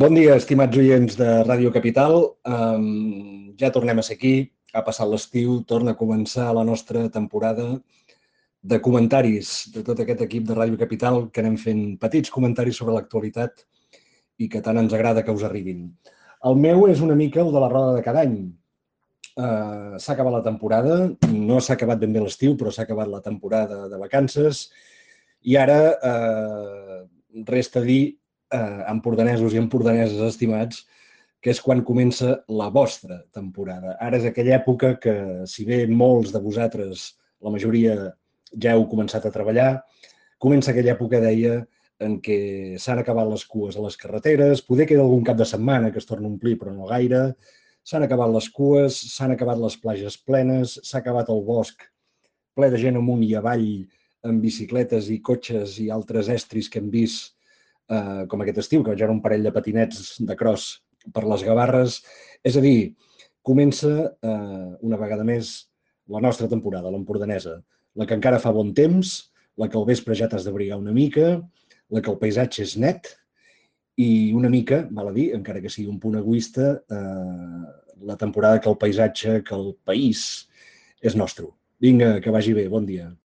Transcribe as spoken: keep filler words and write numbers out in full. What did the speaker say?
Bon dia, estimats oients de Ràdio Capital. Um, ja tornem a ser aquí, ha passat l'estiu, torna a començar la nostra temporada de comentaris de tot aquest equip de Ràdio Capital que anem fent petits comentaris sobre l'actualitat i que tant ens agrada que us arribin. El meu és una mica el de la roda de cada any. Uh, s'ha acabat la temporada, no s'ha acabat ben bé l'estiu, però s'ha acabat la temporada de vacances i ara uh, resta dir, uh, empordanesos i empordaneses estimats, que és quan comença la vostra temporada. Ara és aquella època que, si bé molts de vosaltres, la majoria, ja heu començat a treballar, comença aquella època, deia, en què s'han acabat les cues a les carreteres, poder queda algun cap de setmana que es torna a omplir, però no gaire, s'han acabat les cues, s'han acabat les plages plenes, s'ha acabat el bosc ple de gent amunt i avall amb bicicletes i cotxes i altres estris que hem vist, eh, com aquest estiu, que vaig veure un parell de patinets de cross per les Gavarres. És a dir, comença eh, una vegada més la nostra temporada, l'empordanesa, la que encara fa bon temps, la que al vespre ja t'has d'abrigar una mica, la que el paisatge és net i una mica, val a dir, encara que sigui un punt egoista, eh, la temporada que el paisatge, que el país és nostre. Vinga, que vagi bé, bon dia.